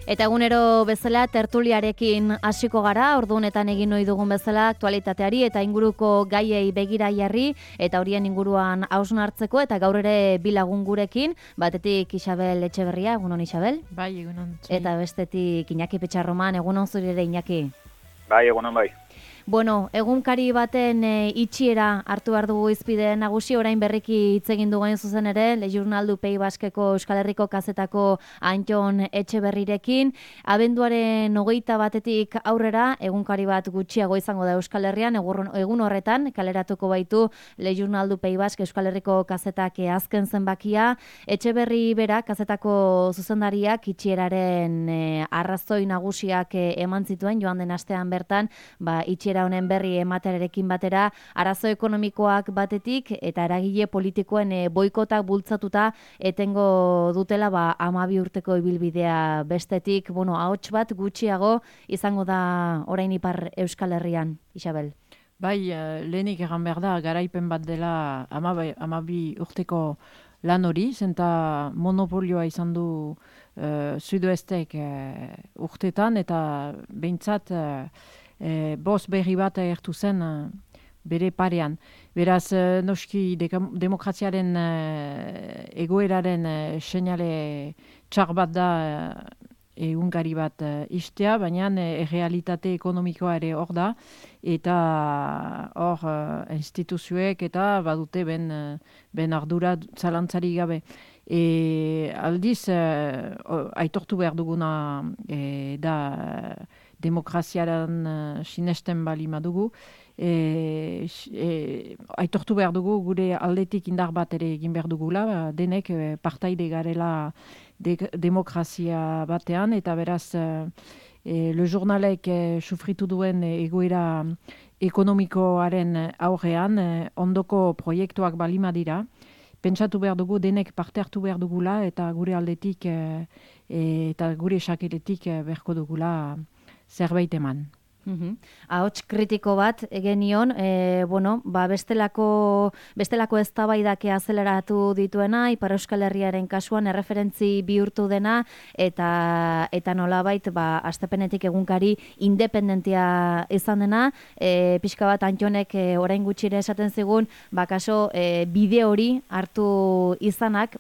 Eta egunero bezala tertuliarekin hasiko gara, ordu honetan egin ohi dugun bezala aktualitateari eta inguruko gaiei begira jarri eta horien inguruan hausnartzeko eta gaur ere bi lagun gurekin, batetik Isabel Etxeberria, egunon Isabel? Bai, egunon. Eta bestetik Iñaki Petxarroman, egunon zuri ere Iñaki? Bai, egunon bai. Bueno, egunkari baten itxiera hartu behar dugu izpide nagusi, orain berriki hitz egin dugu zuzen ere, Le Journal du Pays Baskeko Euskal Herriko kazetako Antxon Etxeberrirekin. Abenduaren 21 aurrera, egunkari bat gutxiago izango da Euskal Herrian, egun horretan, kaleratuko baitu Le Journal du Pays Baske Euskal Herriko kazetak azken zenbakia. Etxeberri bera, kazetako zuzendariak itxieraren arrazoi nagusiak eman zituen, joan den astean bertan, itxiera honen berri ematearekin batera, arazo ekonomikoak batetik eta eragile politikoen boikotak bultzatuta etengo dutela 12 urteko ibilbidea bestetik, ahots bat gutxiago izango da orain Ipar Euskal Herrian, Isabel. Bai, lehenik egan behar da, garaipen bat dela 12 urteko lan hori, zenta monopolioa izan du Sudoestek urtetan eta behintzat bost berri bat agertu zen bere parean. Beraz, noski demokraziaren egoeraren seinale txar bat da egunkari bat istea, baina realitate ekonomikoa ere hor da, eta hor instituzioek eta badute ben ardura zalantzari gabe. Aldiz, aitortu behar duguna da demokraziaren sinesten bali madugu, aitortu behar dugu gure aldetik indar bat ere egin behar dugula, denek partaide garela demokrazia batean, eta beraz Le Journalek sufritu duen egoera ekonomikoaren aurrean ondoko proiektuak balima dira. Pentsatu behar dugu, denek parte hartu behar dugula, eta gure aldetik eta gure sakeletik beharko dugula zerbait eman. Ahots kritiko bat genion, bestelako eztabaidak azeleratu dituena, Ipar Euskal Herriaren kasuan erreferentzi bihurtu dena, eta nolabait astepenetik egunkari independentia izan dena, pixka bat Antxonek orain gutxire esaten zigun, kaso bide hori hartu izanak,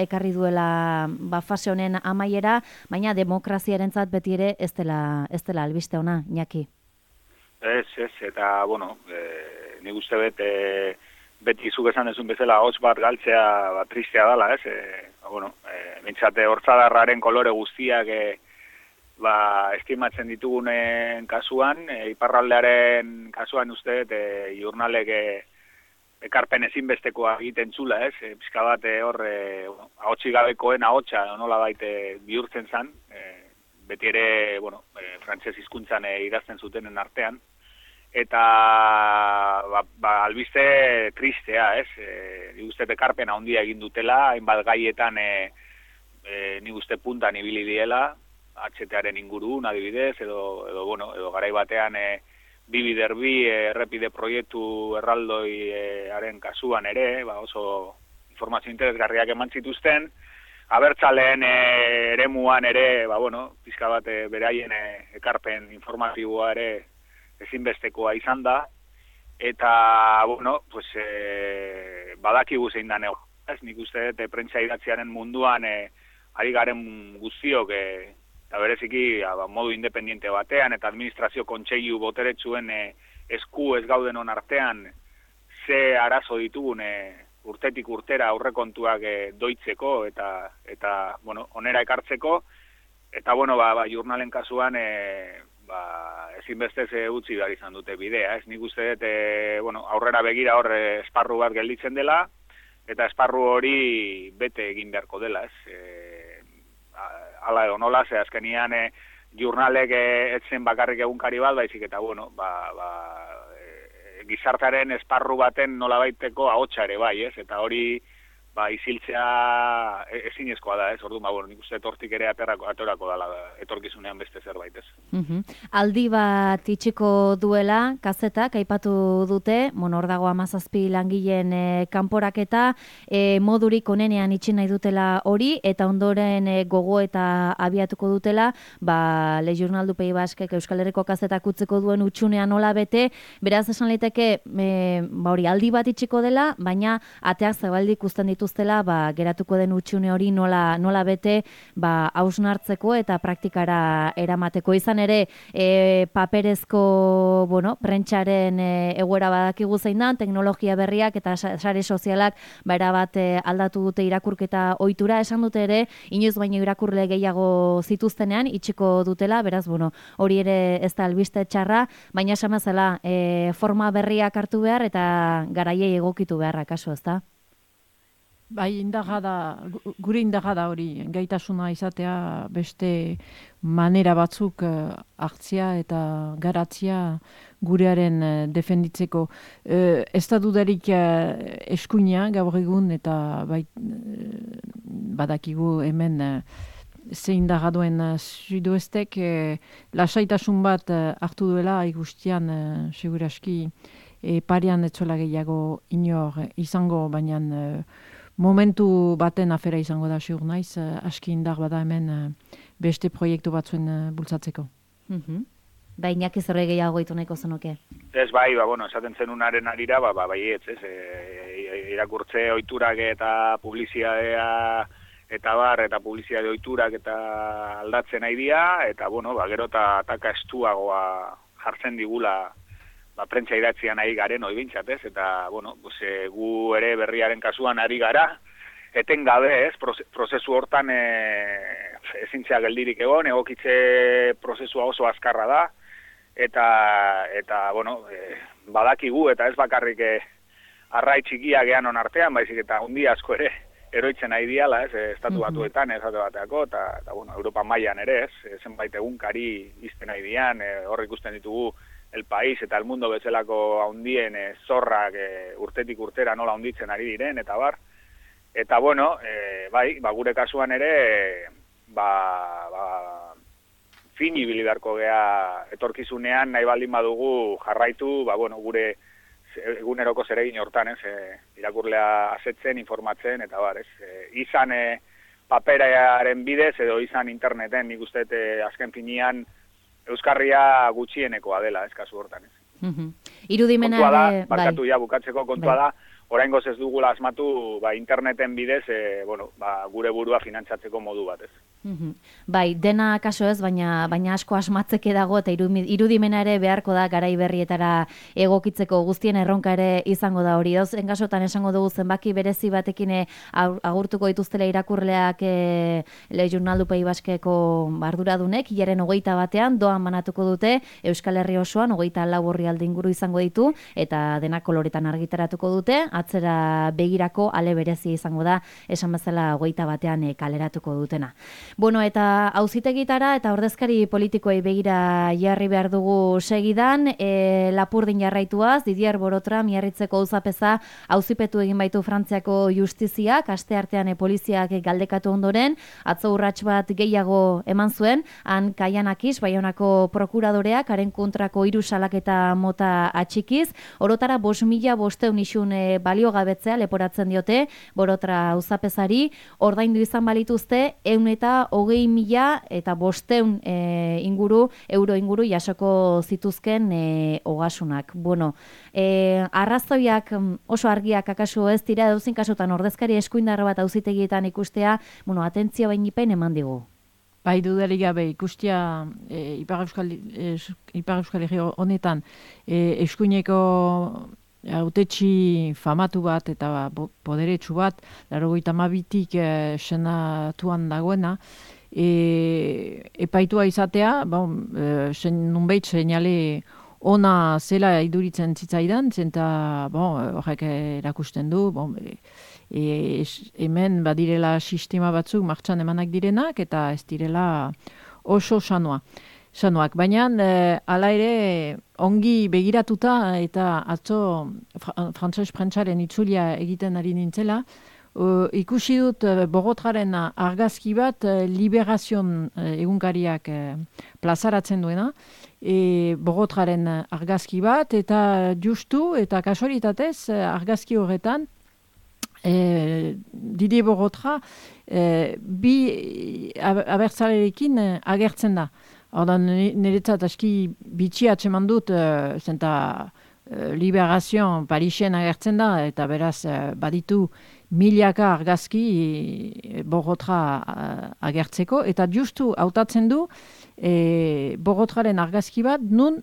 ekarri duela fase honen amaiera, baina demokraziarentzat beti ere ez dela albiste ona, Iñaki. Ez, eta, nik uste beti zuk esan dezun bezala hots bat galtzea tristea dela, ez? Bintzate hortzadarraren kolore guztiak estimatzen ditugunen kasuan, iparraldearen kasuan uste, Journalek ekarpen ezinbestekoa egiten txula, ez? Pizka bat ahotsi gabekoen ahotsa nola baite bihurtzen zan, beti ere, frantses hizkuntzan idazten zutenen artean, eta albiste tristea, ez? Nik uste ekarpena handia egin dutela, hainbat gaietan nik uste puntan ibili diela, HTaren ingurun adibidez, edo garai batean bi errepide proiektu erraldoiaren kasuan ere, oso informazio interesgarriak eman zituzten, abertzaleen eremuan ere, pizka bat beraien ekarpen informatiboa ere ezinbestekoa izan da, eta, badakigu zein da nego. Nik uste dut prentsa idatziaren munduan ari garen guztiok, eta bereziki modu independiente batean, eta administrazio kontseilu boteretsuen esku ez gauden artean, ze arazo ditugun urtetik urtera aurrekontuak doitzeko eta onera ekartzeko, eta Journalen kasuan ezinbestez utzi behar izan dute bidea, ez? Nik uste dut aurrera begira hor esparru bat gelditzen dela, eta esparru hori bete egin beharko dela, ez? Hala edo nola, ze azkenian Journalek etzen bakarrik egunkari bat, baizik eta gizartaren esparru baten nolabaiteko ahotsa ere bai, ez? Eta hori isiltzea ezinezkoa da, ez? Orduan, bueno, nik uste hortik ere aterako dala etorkizunean beste zerbait, ez? Aldi bat itxiko duela, kazetak, aipatu dute, hor dago 17 langileen kanporaketa, modurik onenean itxi nahi dutela hori, eta ondoren gogo eta abiatuko dutela, Le Journal du Pays Basquek Euskal Herriko kazetak utzeko duen utxunean nola bete, beraz esan liteke, hori aldi bat itxiko dela, baina ateak zabaldik ikusten dituztela, geratuko den utxune hori nola bete, hausnartzeko eta praktikara eramateko. Izan ere, paperezko, prentsaren egoera badakigu zein da, teknologia berriak eta sare sozialak erabat aldatu dute irakurketa ohitura, esan dute ere, inoiz baino irakurle gehiago zituztenean, itxiko dutela, beraz, hori ere ez da albiste txarra, baina esan bezala forma berriak hartu behar eta garaiei egokitu beharra kaso, ezta? Bai, gure indarra da hori, gaitasuna izatea beste manera batzuk hartzia eta garatzia gurearen defenditzeko. Ez da dudarik eskuina gaur egun eta badakigu hemen zein da duen Sudoestek lasaitasun bat hartu duela ikustian seguraski parean etzola gehiago inor izango, baina momentu baten afera izango da segur naiz, aski indar bada hemen beste proiektu batzuen bultzatzeko. Iñaki zerre gehiago gaitu nahiko zenuke? Ez esaten zenunaren arira, ez, irakurtze ohiturak eta publizitatea eta publizitate ohiturak eta aldatzen nahi dira, eta gero eta ataka estuagoa jartzen digula prentsa idatzian ari garen hori bintzat, ez? Eta, gu ere berriaren kasuan ari gara, etengabe, ez? Prozesu hortan ezintzea geldirik egon, egokitze prozesua oso azkarra da, eta badakigu, eta ez bakarrik arrai txikia geanon artean, baizik eta hundi asko ere eroitzen nahi diala, ez? Estatu batuetan, esate bateako, eta Europa mailan ere, ez? Zenbait egunkari izten nahi dian, hor ikusten ditugu El País eta El Mundo bezalako haundien zorrak urtetik urtera nola hunditzen ari diren, eta bar. Eta gure kasuan ere, fin ibili beharko gea etorkizunean nahi baldin badugu jarraitu, gure eguneroko zeregin hortan, ez, irakurlea asetzen, informatzen, eta bar, ez. Izan paperaren bidez edo izan interneten, nik uste azken finean, Euskarria gutxienekoa dela, ez kasu hortan, ez. Irudimena ere, barkatu bukatzeko kontua da, oraingoz ez dugula asmatu, interneten bidez, gure burua finantzatzeko modu bat, ez. Dena kaso ez, baina asko asmatzeke dago eta irudimena ere beharko da garai berrietara egokitzeko, guztien erronka ere izango da hori. Dozen kasotan esango dugu zenbaki berezi batekin agurtuko dituztela irakurleak Le Journal du Pays Basqueko arduradunek, hilaren 21 doan banatuko dute, Euskal Herri osoan 24 orrialde inguru izango ditu, eta dena koloretan argitaratuko dute, atzera begirako ale berezi izango da, esan bezala 21 kaleratuko dutena. Eta auzitegitara eta ordezkari politikoei begira jarri behar dugu segidan, Lapurdin jarraituaz, Didier Borotra miarritzeko auzapeza auzipetu egin baitu Frantziako justiziak, asteartean poliziak galdekatu ondoren, atzo urrats bat gehiago eman zuen, han Kaianakis, Baionako prokuradoreak, haren kontrako 3 salaketa mota atxikiz, orotara 5.500 isun baliogabetzea leporatzen diote, Borotra auzapezari, ordaindu izan balituzte, 120.000 eta 500 euro inguru jasoko zituzken ogasunak. Arrazoiak oso argiak akaso ez dira, dauzin kasutan ordezkari eskuindarra bat auzitegietan ikustea, atentzio bainipen eman digu. Bai, dudarik gabe, ikustia Ipar Euskal Herri honetan eskuineko hautetsi famatu bat eta poderetsu bat, 92tik senatuan dagoena, epaitua izatea, nunbait seinale ona zela iduritzen zitzaidan, zenta horrek erakusten du, hemen badirela sistema batzuk martxan emanak direnak, eta ez direla oso sanoak. Baina, hala ere, ongi begiratuta eta atzo frantses prentsaren itzulia egiten ari nintzela, ikusi dut Bogotraren argazki bat Liberazion egunkariak plazaratzen duena, Bogotraren argazki bat, eta justu eta kasualitatez argazki horretan Didier Bogotra bi abertzalerekin agertzen da. Ordan niretzat aski bitxia atseman dut, zenta Liberazioan Parisen agertzen da, eta beraz baditu milaka argazki Bogotra agertzeko, eta justu hautatzen du Bogotraren argazki bat nun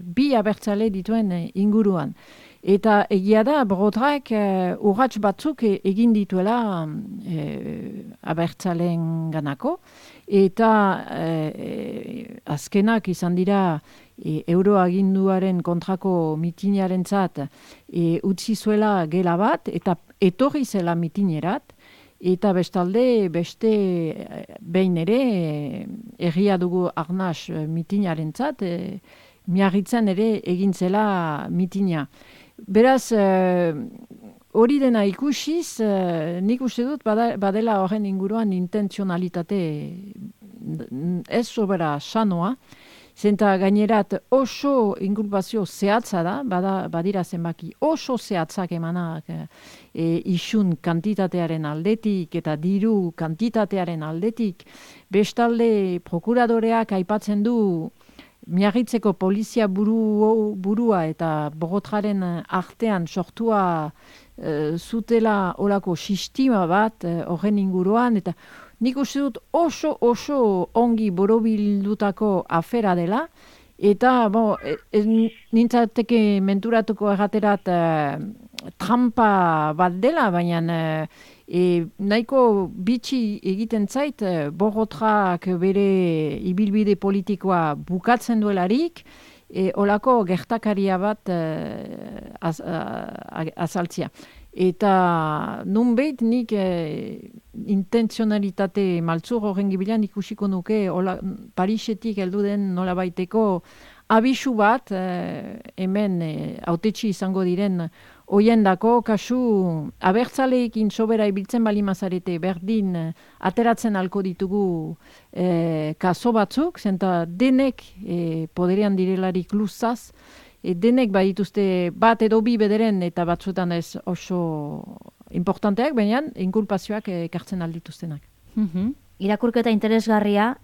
bi abertzale dituen inguruan. Eta egia da, Bogotrak urrats batzuk egin dituela abertzaleen ganako, eta azkenak izan dira euroaginduaren kontrako mitinarentzat utzi zuela gela bat, eta etorri zela mitinerat, eta bestalde beste behin ere egia dugu Arnas mitinarentzat, Miarritzen ere egin zela mitina. Beraz, hori dena ikusiz, nik uste dut badela horren inguruan intentzionalitate ez sobera sanoa, zenta gainerat oso inkulpazio zehatza da, badira zenbaki oso zehatzak emanak isun kantitatearen aldetik eta diru kantitatearen aldetik, bestalde prokuradoreak aipatzen du Miarritzeko polizia burua eta Bogotraren artean sortua zutela olako sistema bat horren inguruan, eta nik uste dut oso ongi borobildutako afera dela, eta nintzateke menturatuko erraterat trampa bat dela, baina nahiko bitxi egiten zait Bogotrak bere ibilbide politikoa bukatzen duelarik, olako gertakaria bat azaltzia. Eta nunbait nik intentzionalitate maltzur horren gibilan ikusiko nuke Parisetik heldu den nolabaiteko abisu bat hemen hautetsi izango diren hoiendako kasu abertzaleekin sobera ibiltzen balimazarete berdin ateratzen alko ditugu kaso batzuk, zenta denek poderean direlarik luzaz, denek badituzte bat edo bi bederen eta batzuetan ez oso importanteak, baina inkulpazioak ekartzen aldituztenak. Irakurketa interesgarria,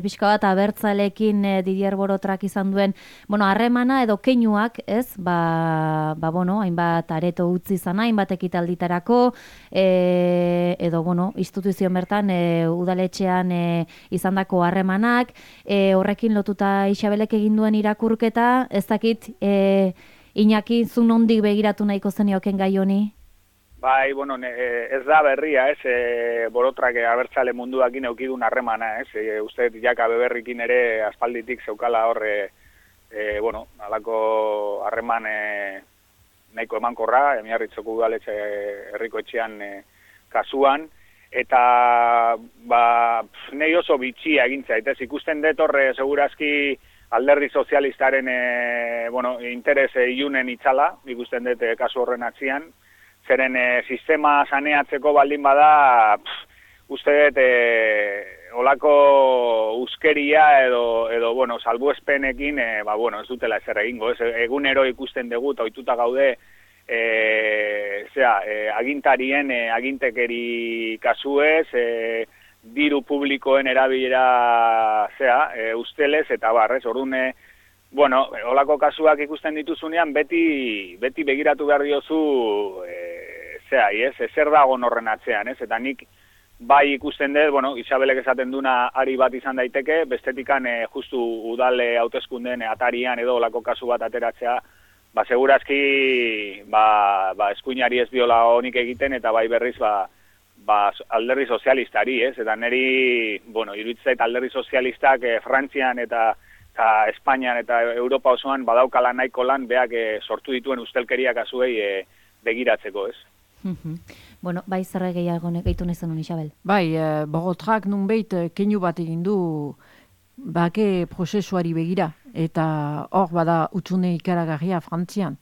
pixka bat abertzalekin Didier Borotrak izan duen, harremana edo keinuak, ez? Hainbat areto utzi izan, hainbat ekitalditarako, edo, instituzio bertan, udaletxean izandako harremanak, horrekin lotuta Isabelek egin duen irakurketa, ez dakit, Iñaki, zu nondik begiratu nahiko zenioken gai honi? Bai, ez da berria, Borotrak abertzale munduakin eukidun harremana, uste jaka beberrikin ere aspalditik zeukala horre, alako harreman nahiko emankorra, Miarritzeko udaletxe herriko etxean kasuan, eta nahi oso bitxia egintza, eta ikusten dut horre segurazki alderdi sozialistaren interes ilunen itzala, ikusten dut kasu horren atzian, zeren sistema saneatzeko baldin bada, uste dut olako uskeria edo salbuespenekin, ez dutela ezer egingo. Egunero ikusten dugu, eta ohituta gaude, agintarien agintekeri kasuez, diru publikoen erabilera ustelez, eta orduan, olako kasuak ikusten dituzunean, beti begiratu behar diozu, zer dago horren atzean, eta nik bai ikusten dut, Isabelek esaten duna ari bat izan daiteke, bestetikan justu udale hauteskundeen atarian edo olako kasu bat ateratzea, segurazki eskuinari ez diola honik egiten, eta bai berriz alderdi sozialistari, eta niri, iruditzait alderdi sozialistak Frantzian eta Espainian eta Europa osoan badaukala nahiko lan beak sortu dituen ustelkeria kasuei begiratzeko, ez? Bai, zerre gehiago gehitu nezen hon, Isabel? Bai, Bogotrak nunbait keinu bat egin du bake prozesuari begira, eta hor bada utxune ikaragarria Frantzian.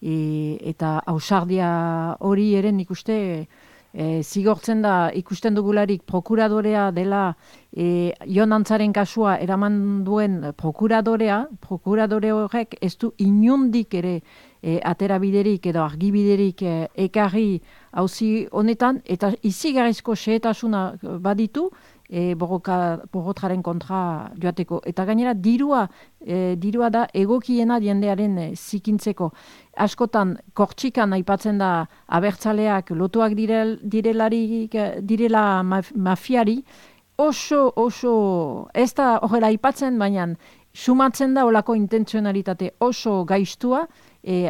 Eta ausardia hori ere nik uste zigortzen da ikusten dugularik prokuradorea dela Jon Antzaren kasua eraman duen prokuradore horrek ez du inundik ere aterabiderik edo argibiderik ekarri auzi honetan, eta izigarrizko xehetasuna baditu borrotraren kontra joateko. Eta gainera dirua da egokiena jendearen zikintzeko. Askotan kortxikan aipatzen da abertzaleak lotuak direla mafiari, oso, ez da horrela aipatzen, baina sumatzen da olako intentzionalitate oso gaiztua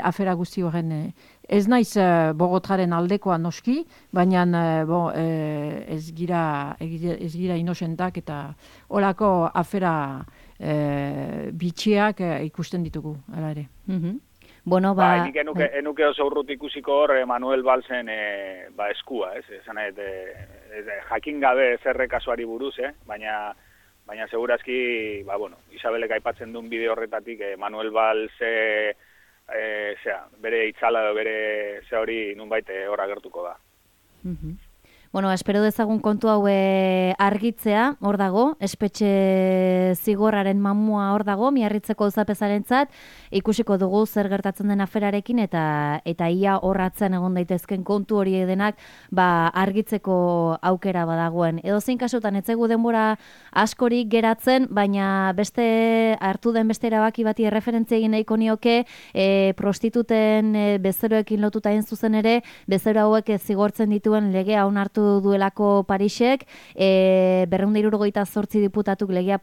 afera guzti horren. Ez naiz Bogotraren aldekoa noski, baina ez gira inosentak eta olako afera bitxiak ikusten ditugu, ala ere. Bueno, enuke oso urrut ikusiko hor Manuel Valsen eskua, ez? Esan jakin gabe zerre kasuari buruz, baina segurazki, Isabelek aipatzen duen bideo horretatik Manuel Valse bere itzala edo bere hori nunbait hor agertuko da. Bueno, espero dezagun kontu hau argitzea, hor dago, espetxe zigorraren mamua hor dago, Miarritzeko auzapezarentzat, ikusiko dugu zer gertatzen den aferarekin eta ia horratzen egon daitezken kontu hori denak argitzeko aukera badagoen. Edozein kasutan ez zaigu denbora askorik geratzen, baina hartu den beste erabaki bati erreferentzia egin nahiko nioke, prostituten bezeroekin lotuta egin zuzen ere, bezero hauek zigortzen dituen legea onartu duelako Parisek, 278 diputatuk lege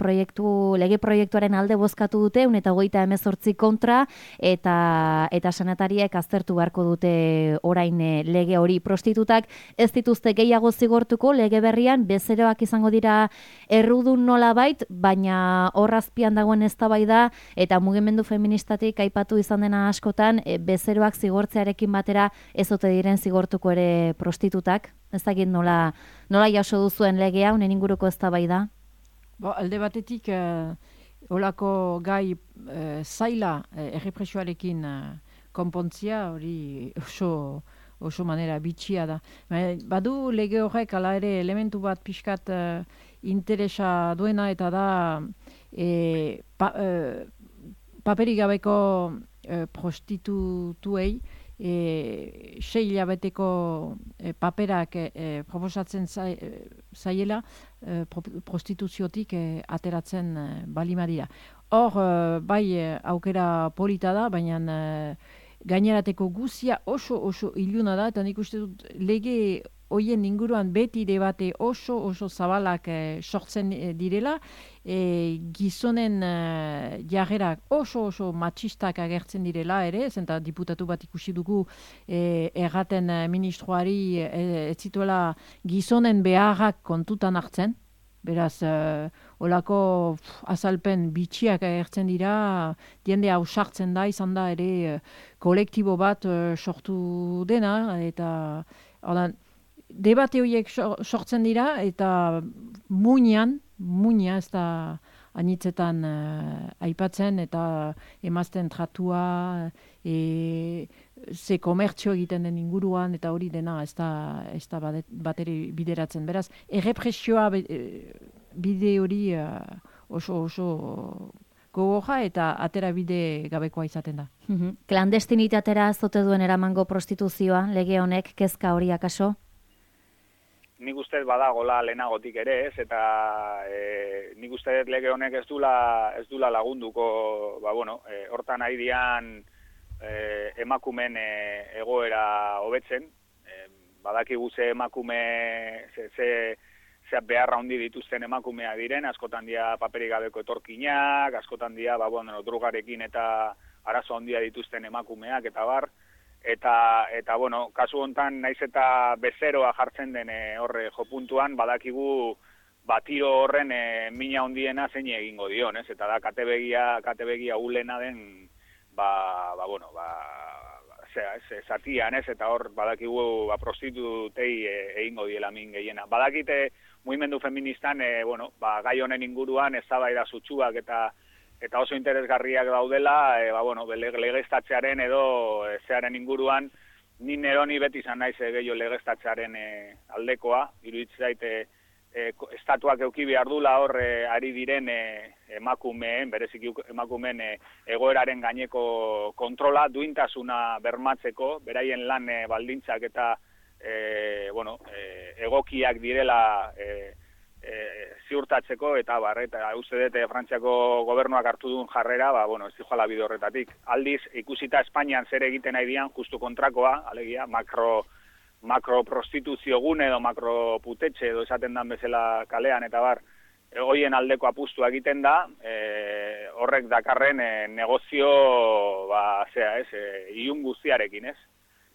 proiektuaren alde bozkatu dute, 128 kontra, eta sanatariek aztertu beharko dute orain lege hori. Prostitutak ez dituzte gehiago zigortuko, lege berrian bezeroak izango dira errudun nolabait, baina horrazpian dagoen eztabaida eta mugimendu feministatik aipatu izan dena askotan, bezeroak zigortzearekin batera ez ote diren zigortuko ere prostitutak. Ez dakit nola jaso duzuen legea, honen inguruko eztabaida? Alde batetik, olako gai zaila errepresioarekin konpontzia, hori oso manera bitxia da. Badu lege horrek ala ere elementu bat pixkat interesa duena, eta da paperik gabeko prostitutuei 6 hilabeteko paperak proposatzen zaiela prostituziotik ateratzen balimadira. Hor, bai aukera polita da, baina gainerateko guzia oso iluna da, eta nik uste dut lege hoien inguruan beti debate oso zabalak sortzen direla, gizonen jarrerak oso matxistak agertzen direla ere, zenta diputatu bat ikusi dugu erraten ministroari ez zituela gizonen beharrak kontutan hartzen. Beraz, olako azalpen bitxiak agertzen dira, jende hau sartzen da, izan da ere kolektibo bat sortu dena, eta debate horiek sortzen dira, eta muina ez da anitzetan aipatzen, eta emazten tratua, ze komertzio egiten den inguruan, eta hori dena ez da bateri bideratzen. Beraz, errepresioa bide hori oso gogorra eta atera bide gabekoa izaten da. Klandestinitatera zote duen eramango prostituzioa, lege honek, kezka hori akaso? Nik uste badagola lehenagotik ere, ez, eta nik uste lege honek ez dula lagunduko, hortan nahi dian emakumen egoera hobetzen, badakigu ze emakume, ze beharra handi dituzten emakumea diren, askotan dia paperik gabeko etorkinak, askotan dia drugarekin eta arazo handia dituzten emakumeak, eta bar, eta kasu hontan naiz eta bezeroa jartzen den horre jopuntuan, badakigu tiro horren mina handiena zein egingo dion, ez? Eta da katebegia ulena den zatian, ez? Eta hor badakigu prostitutei egingo diela min gehiena. Badakite mugimendu feministan gai honen inguruan eztabaida sutsuak eta oso interesgarriak daudela, legeztatzearen edo zearen inguruan, ni neroni beti izan naiz gehiago legeztatzearen aldekoa, iruditzen zaite estatuak euki behar dula hor ari diren emakumeen, bereziki emakumeen egoeraren gaineko kontrola, duintasuna bermatzeko, beraien lan baldintzak eta egokiak direla ziurtatzeko, eta uste dut Frantziako gobernuak hartu duen jarrera, ez dijoala bide horretatik. Aldiz, ikusita Espainian zer egiten nahi dian, justu kontrakoa, alegia, makroprostituzio gune edo makroputetxe edo esaten dan bezala kalean, eta hoien aldeko apustua egiten da, horrek dakarren negozio, ilun guztiarekin, ez?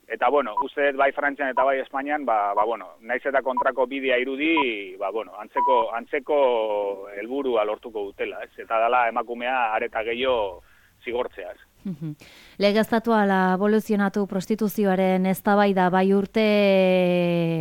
Eta, uste dut bai Frantzian eta bai Espainian, naiz eta kontrako bidea irudi, antzeko helburua lortuko dutela, ez? Eta dala emakumea areta gehiago zigortzea, ez? Legeztatua aboluzionatu prostituzioaren eztabaida bai urte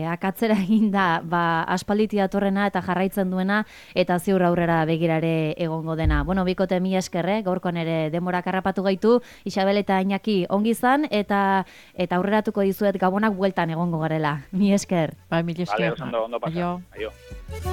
akatzera eginda aspalditi datorrena eta jarraitzen duena eta ziur aurrera begirare egongo dena. Bikote mila esker, gaurkoan ere demorak harrapatu gaitu, Isabel eta Iñaki ongi izan eta aurreratuko dizuet Gabonak bueltan egongo garela. Mila esker. Bai, mila esker. Vale, ondo pasa. Aio.